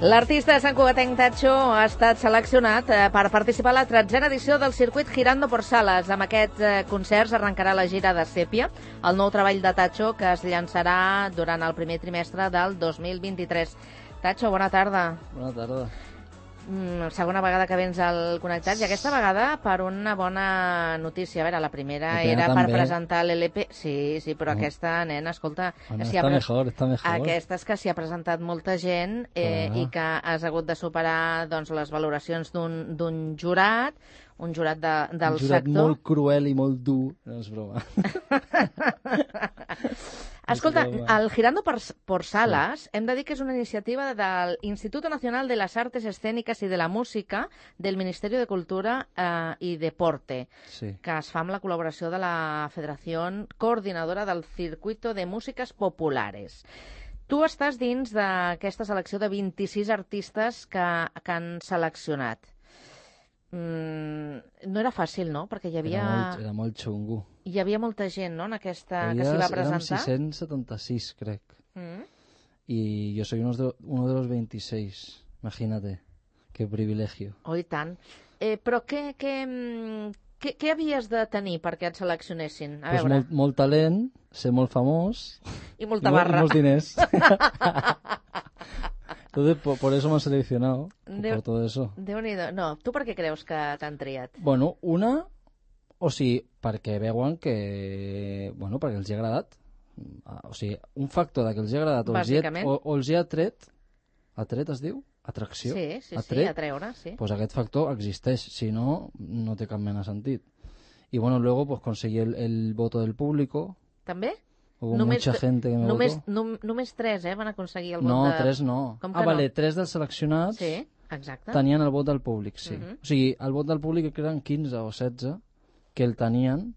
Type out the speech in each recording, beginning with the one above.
L'artista de Sant Cugatenc Tacho ha estat seleccionat per participar a la 13a edició del circuit Girando por Salas. Amb aquests concerts arrencarà la gira de Sèpia, el nou treball de Tacho que es llançarà durant el primer trimestre del 2023. Tacho, bona tarda. Bona tarda. Segona vegada que vens al Connectats i aquesta vegada per una bona notícia. A veure, la primera era per presentar l'LP. Sí, però aquesta, nena, escolta... Bueno, està mejor. Aquesta és que s'hi ha presentat molta gent i que has hagut de superar doncs, les valoracions d'un jurat, un jurat del sector. Un jurat molt cruel i molt dur. No és broma. Escolta, el Girando por Salas hem de dir que és una iniciativa del Instituto Nacional de las Artes Escénicas y de la Música del Ministerio de Cultura i Deporte, que es fa amb la col·laboració de la Federació Coordinadora del Circuito de Músiques Populares. Tu estàs dins d'aquesta selecció de 26 artistes que han seleccionat. No era fàcil, no? Perquè hi havia... Era molt xungo. Hi havia molta gent, no?, en aquesta que s'hi va presentar. Érem 676, crec. Y yo soy uno de los 26. Imagínate. Qué privilegio. Oh, i tant. Però què havies de tenir perquè et seleccionessin? A veure. Molt talent, ser molt famós... I molta barra. I molts diners. Entonces, por eso me han seleccionado, por todo eso. Déu-n'hi-do. No, tu per què creus que t'han triat? Bueno, o sigui, perquè veuen que... Bueno, perquè els hi ha agradat. O sigui, un factor que els hi ha agradat o els hi ha atret... Atret es diu? Atracció? Sí, atreure, sí. Pues aquest factor existeix, si no, no té cap mena de sentit. Y bueno, luego pues conseguí el voto del público. ¿També? Hubo mucha gente que me votó. Només 3, van aconseguir el vot No, 3 no. Vale, 3 dels seleccionats tenien el vot del públic, sí. O sigui, el vot del públic eren 15 o 16 que el tenien,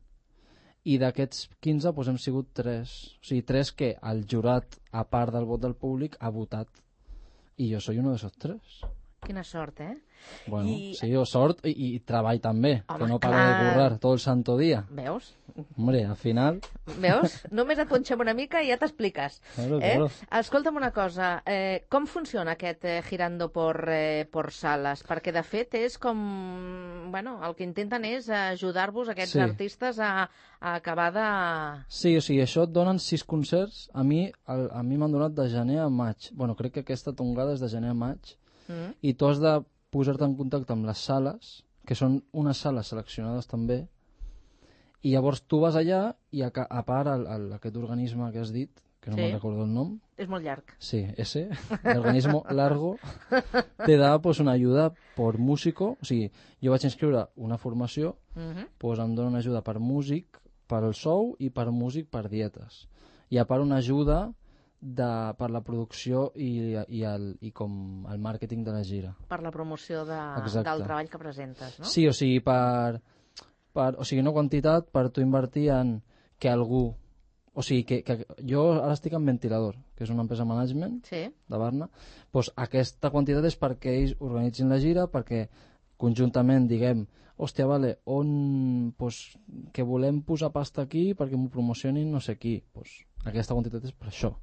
i d'aquests 15 doncs hem sigut 3. O sigui, 3 que el jurat, a part del vot del públic, ha votat. I jo soy uno de esos 3. Quina sort, Bueno, sí, sort i treball també, que no para de currar tot el santo dia. Veus? Hombre, al final... Veus? Només et punxem una mica i ja t'expliques. Claro. Escolta'm una cosa, com funciona aquest Girando por Salas? Perquè, de fet, és com... Bueno, el que intenten és ajudar-vos, aquests artistes, a acabar de... Sí, o sigui, això et donen 6 concerts. A mi m'han donat de gener a maig. Bueno, crec que aquesta tongada és de gener a maig. I tu has de posar-te en contacte amb les sales, que són unes sales seleccionades també, i llavors tu vas allà i a part aquest organisme que has dit, que no me'n recordo el nom. És molt llarg. Sí, ese, el organismo largo, te da pues una ayuda por músico. O sigui, jo vaig inscriure una formació, pues em dona una ajuda per músic, per el sou i per músic per dietes. I a part una ajuda per la producció i com el màrqueting de la gira. Per la promoció del treball que presentes, no? Sí, o sigui, o sigui, no quantitat, per tu invertir en que algú... O sigui, que jo ara estic en Ventilador, que és una empresa management de Barna, doncs aquesta quantitat és perquè ells organitzin la gira, perquè conjuntament diguem, hòstia, vale, que volem posar pasta aquí perquè m'ho promocionin no sé qui. Aquesta quantitat és per això.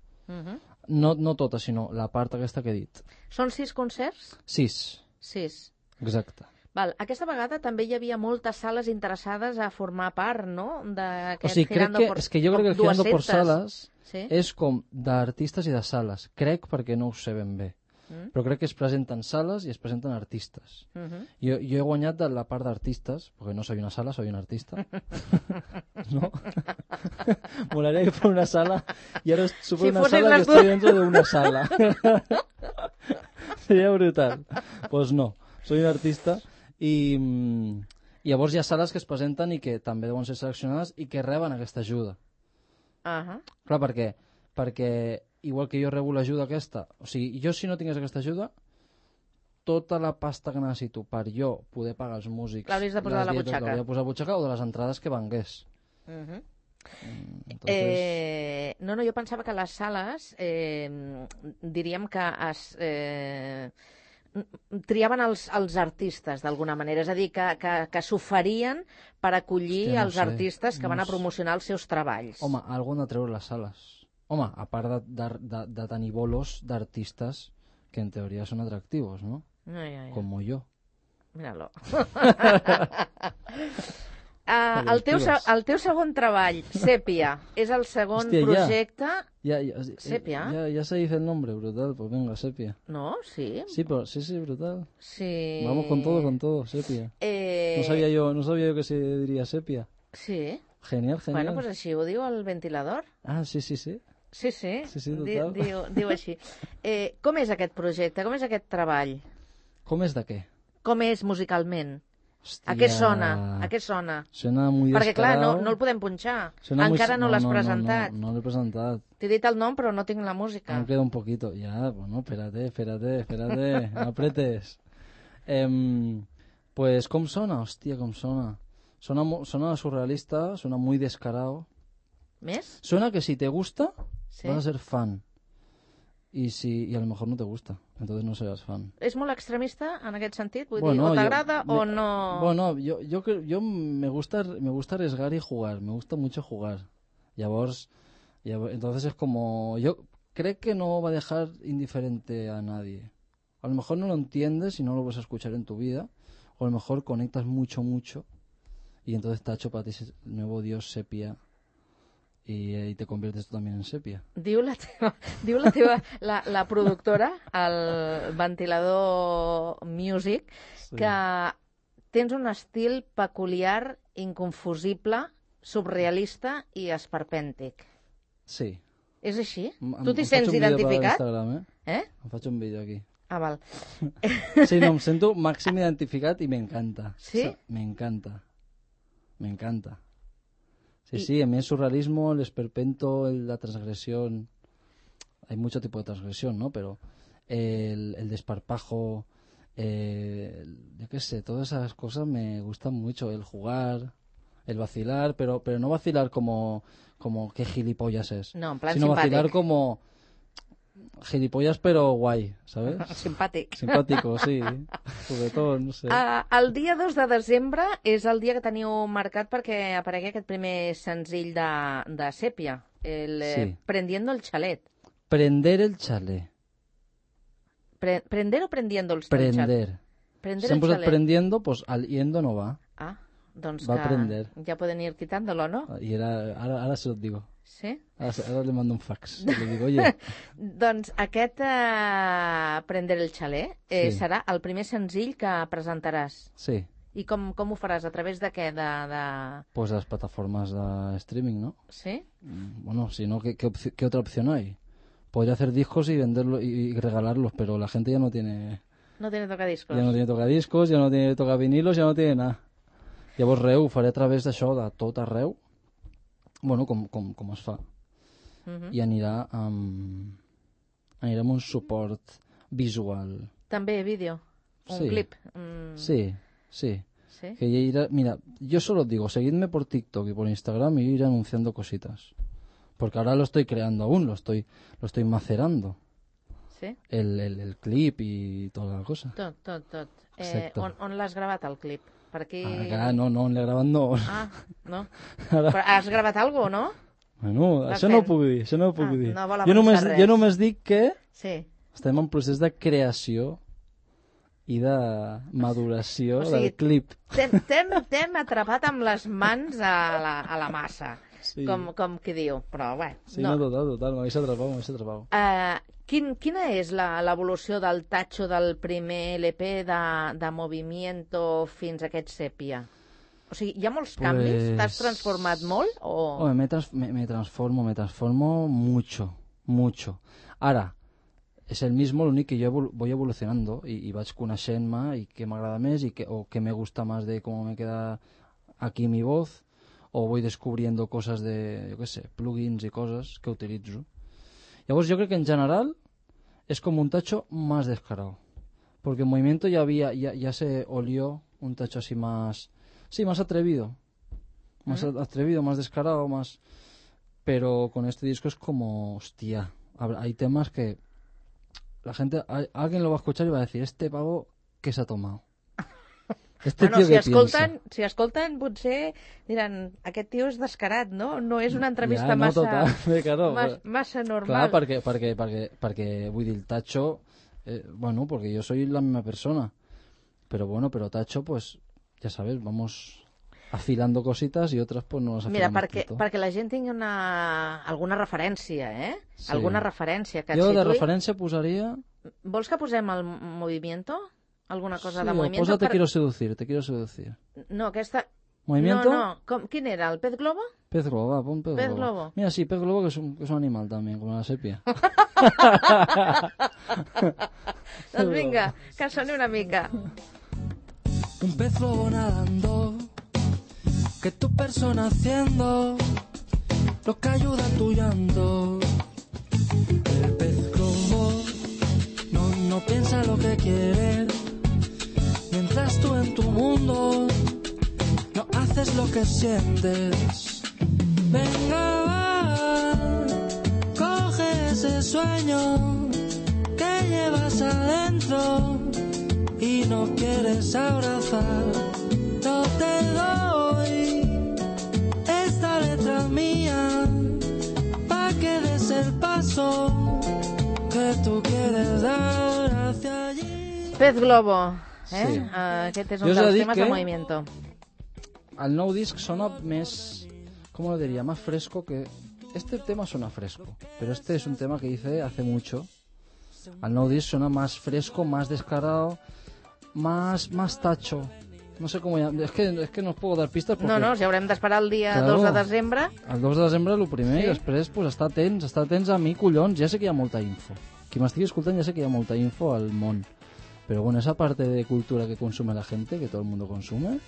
No tota, sinó la part aquesta que he dit. Són 6 concerts? 6. Exacte. Val. Aquesta vegada també hi havia moltes sales interessades a formar part, no? O sigui, jo crec que el Girando por Salas és com d'artistes i de sales. Crec, perquè no ho sé ben bé. Però crec que es presenten sales i es presenten artistes. Jo he guanyat de la part d'artistes, perquè no soy una sala, soy un artista. ¿No? Molaría que fuera una sala y ahora supongo una sala que estoy dentro de una sala. Sería brutal. Pues no, soy un artista i llavors hi ha sales que es presenten i que també deuen ser seleccionades i que reben aquesta ajuda. Clar, perquè igual que jo rebo l'ajuda aquesta, o sigui, jo si no tingués aquesta ajuda, tota la pasta que necessito per jo poder pagar els músics, l'hauries de posar a la butxaca. L'hauria de posar a la butxaca o de les entrades que vengués. No, jo pensava que les sales diríem que triaven els artistes d'alguna manera, és a dir, que s'oferien per acollir els artistes que van a promocionar els seus treballs. Home, algú han de treure les sales. Home, a part de tenir bolos d'artistes que en teoría son atractivos, ¿no? Como yo. Míralo. El teu segon treball, Sèpia, és el segon projecte... Sèpia? Ya se dice el nombre, brutal, pues venga, Sèpia. No, sí. Sí, pero sí, brutal. Sí. Vamos con todo, Sèpia. No sabía yo que se diría Sèpia. Sí. Genial. Bueno, pues així ho diu el ventilador. Ah, sí. Sí, total. Diu així. Com és aquest projecte? Com és aquest treball? Com és de què? Com és musicalment? Hòstia... A què sona? Sona muy Perquè, clar, descarado. no el podem punxar. Encara no l'has presentat. No l'he presentat. T'he dit el nom, però no tinc la música. Me queda un poquito. Ya, bueno, espérate. No apretes. Pues, ¿cómo sona? Hostia, ¿cómo sona? Sona surrealista, suena muy descarado. ¿Més? Suena que si te gusta, sí. Vas a ser fan. Y a lo mejor no te gusta, entonces no serás fan. ¿Es molt extremista en aquest sentit? Vull dir, o t'agrada o no... Bueno, yo me gusta arriesgar y jugar, me gusta mucho jugar. Entonces es como... Yo creo que no va a dejar indiferente a nadie. A lo mejor no lo entiendes y no lo vas a escuchar en tu vida, o a lo mejor conectas mucho, y entonces Tacho para ti es el nuevo dios Sèpia. Y te conviertes tú también en Sèpia. Diu la productora, el Ventilador Music, sí. Que tens un estil peculiar, inconfusible, surrealista i esperpèntic. Sí. És així? Tu t'hi sents identificat? Em faig un vídeo aquí. Ah, val. Sí, no, em sento màxim identificat i m'encanta. Sí? M'encanta. Sí, a mí el surrealismo, el esperpento, la transgresión, hay mucho tipo de transgresión, ¿no? Pero el desparpajo, yo qué sé, todas esas cosas me gustan mucho, el jugar, el vacilar, pero no vacilar como qué gilipollas es, no, en plan sino simpàtic. Vacilar como gilipollas pero guay, ¿sabes? Simpàtico, sí. Juguetón, no sé. El dia 2 de desembre és el dia que teniu marcat perquè aparegui aquest primer senzill de Sèpia, sí. Prendiendo el chalet. Prender el chalet. ¿Prender o prendiendo el chalet? Prender si hem posat prendiendo, pues al yendo no va. Ah, doncs va a prender. Ya pueden ir quitándolo, ¿no? Y ahora se los digo. Sí? Ara le mando un fax. Le digo, oye... Doncs aquest Prender el chalet serà el primer senzill que presentaràs. Sí. I com ho faràs? A través de què? Pues las plataformas de streaming, ¿no? Sí. Bueno, si no, ¿qué otra opción hay? Podría hacer discos y venderlos y regalarlos, pero la gente ya no tiene... No tiene tocadiscos. Ja no tiene tocadiscos, ja no tiene tocavinilos, ja no tiene nada. Llavors, ho faré a través d'això, de tot arreu, bueno, com es fa. I anirà amb un suport visual. També vídeo, un clip. Sí. Que mira, yo solo digo, seguidme por TikTok y por Instagram y ir anunciando cositas. Porque ahora lo estoy creando aún, lo estoy macerando. Sí? El clip i tota la cosa. Tot. On l'has gravat, el clip? Per aquí... no, l'he gravat no. Ah, no? Però has gravat alguna cosa, no? Bueno, això no ho puc dir, No vol avançar res. Jo només dic que estem en procés de creació i de maduració del clip. T'hem atrapat amb les mans a la massa, com qui diu, però bé. Sí, no, total, m'hagués atrapat. Quina és l'evolució del Tacho del primer LP de Movimiento fins a aquest Sèpia? O sigui, hi ha molts canvis? T'has transformat molt? Me transformo mucho. Ara, és el mismo, l'únic que jo voy evolucionando i vaig coneixent-me i què m'agrada més o què me gusta más de cómo me queda aquí mi voz, o voy descubriendo cosas de, yo qué sé, plugins y cosas que utilizo. Llavors jo crec que en general es como un Tacho más descarado, porque en Movimiento ya se olió un Tacho así más atrevido, más descarado, pero con este disco es como, hostia, hay temas que la gente, alguien lo va a escuchar y va a decir, este pavo, ¿qué se ha tomado? Si escolten, potser diran, aquest tio és descarat, no? No és una entrevista massa normal. Clar, perquè vull dir, el Tacho bueno, porque yo soy la misma persona. Pero bueno, pero Tacho, pues, ya sabes, vamos afilando cositas i otras pues no les afilamos. Mira, perquè la gent tingui alguna referència, Sí. Alguna referència que et jo situï. de referència posaria... Vols que posem el movimiento? Alguna cosa de movimiento? Sí, posa Te quiero seducir. No, aquesta... ¿Movimiento? No. ¿Quin era? ¿El pez globo? Pez globo, va, pon pez globo. Globo. Mira, sí, pez globo que es un animal también, como la sepia. Doncs vinga, que soni una mica. Un pez globo nadando, que tu persona haciendo lo que ayuda a tu llanto. El pez globo no piensa lo que quiere, mientras tú en tu mundo no haces lo que sientes. Venga, va, coge ese sueño que llevas adentro y no quieres abrazar. No te doy esta letra mía pa' que des el paso que tú quieres dar hacia allí. Pez globo, Sí. Aquest és un dels temes de movimiento. El nou disc sona més, ¿cómo lo diría? Más fresco que... Este tema suena fresco, pero este es un tema que hice hace mucho. El nou disc suena más fresco, más descarado, más tacho. No sé cómo llamar. Es que no os puedo dar pistas porque... No, si haurem d'esperar el dia 2 de desembre. El 2 de desembre el primer, i després pues, estar atents a mi, collons. Ja sé que hi ha molta info. Qui m'estigui escoltant ja sé que hi ha molta info al món. Pero bueno, esa parte de cultura que consume la gente, que todo el mundo consume,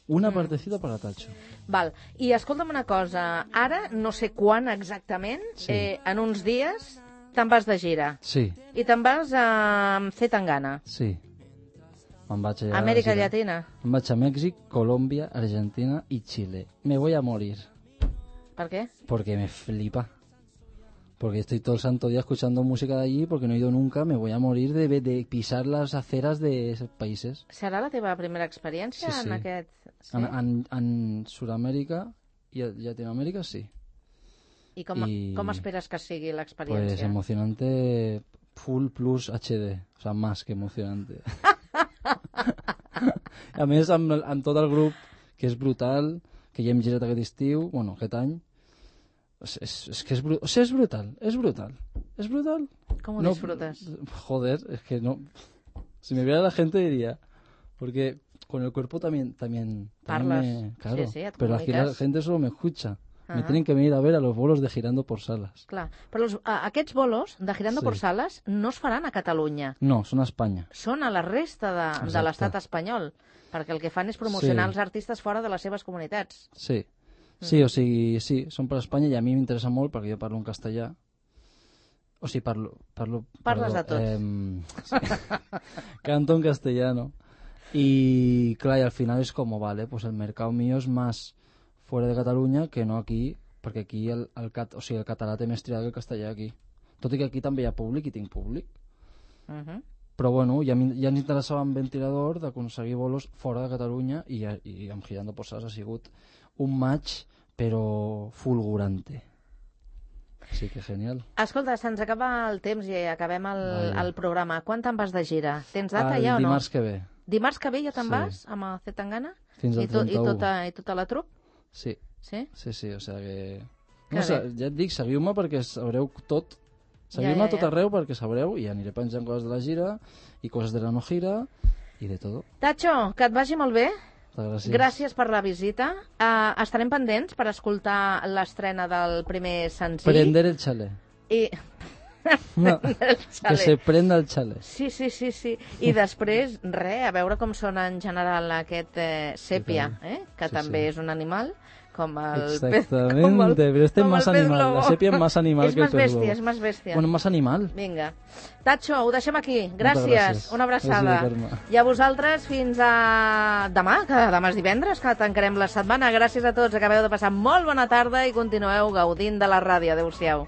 una partecita para Tacho. Val, i escolta'm una cosa, ara, no sé quan exactament, en uns dies te'n vas de gira. Sí. I te'n vas a Zetangana. Sí. Me'n vaig a Amèrica Llatina. Me'n vaig a Mèxic, Colòmbia, Argentina i Chile. Me voy a morir. ¿Per qué? Porque me flipa. Porque estoy todo el santo día escuchando música de allí, porque no he ido nunca, me voy a morir de pisar las aceras de esos países. Serà la teva primera experiència Sí. en aquest... Sí? En Sudamèrica i Llatinoamèrica, sí. I com esperes que sigui l'experiència? Pues emocionante, full plus HD, o sea, más que emocionante. A més, amb tot el grup, que és brutal, que ja hem girat aquest estiu, bueno, aquest any, es que es brutal. ¿Cómo disfrutas? Joder, es que no... Si me viera la gente diría, porque con el cuerpo también Parlas. claro, Sí, et pero aquí la comuniques. gente solo me escucha. Me tienen que venir a ver a los bolos de Girando por Salas. Clar, però aquests bolos de Girando por Salas no es faran a Catalunya. No, són a Espanya. Són a la resta de l'estat espanyol, perquè el que fan és promocionar els artistes fora de les seves comunitats. Sí. Sí, o sigui, sí, són per Espanya i a mi m'interessa molt perquè jo parlo en castellà. O sigui, Parles de tot. Canto en castellano. Y claro, y al final es como, vale, pues el mercado mío es más fuera de Catalunya que no aquí, perquè aquí el català té més triada que el castellà aquí. Tot i que aquí també hi ha públic i tinc públic. Però bueno, ja ens interessava amb Ventilador d'aconseguir bolos fora de Catalunya i amb Girando por Salas ha sigut un match però fulgurante. Sí que genial. Escolta, se'ns acaba el temps i acabem el programa. Quan te'n vas de gira? Tens data ja o no? Dimarts que ve. Dimarts que ve ja te'n vas amb el Zetangana? Fins al 31. I tota la trup? Sí. Sí? Sí, o sea que... No, ja et dic, seguiu-me perquè sabreu tot. Seguiu-me a tot arreu perquè sabreu i aniré penjant coses de la gira i coses de la no gira i de tot. Tacho, que et vagi molt bé. Gràcies. Gràcies per la visita. Estarem pendents per escoltar l'estrena del primer senzill. Prender el xalé. No, que se prenda el xalé. Sí. I després, a veure com sona en general aquest sèpia, que també és un animal, com el Exactamente, pero este es más animal. La sepia es más animal que el pez globo. És més bèstia. Bueno, más animal. Vinga. Tacho, ho deixem aquí. Gràcies. Una abraçada. Gràcies, I a vosaltres fins a demà, que demà és divendres, que tancarem la setmana. Gràcies a tots. Acabeu de passar molt bona tarda i continueu gaudint de la ràdio. Adéu-siau.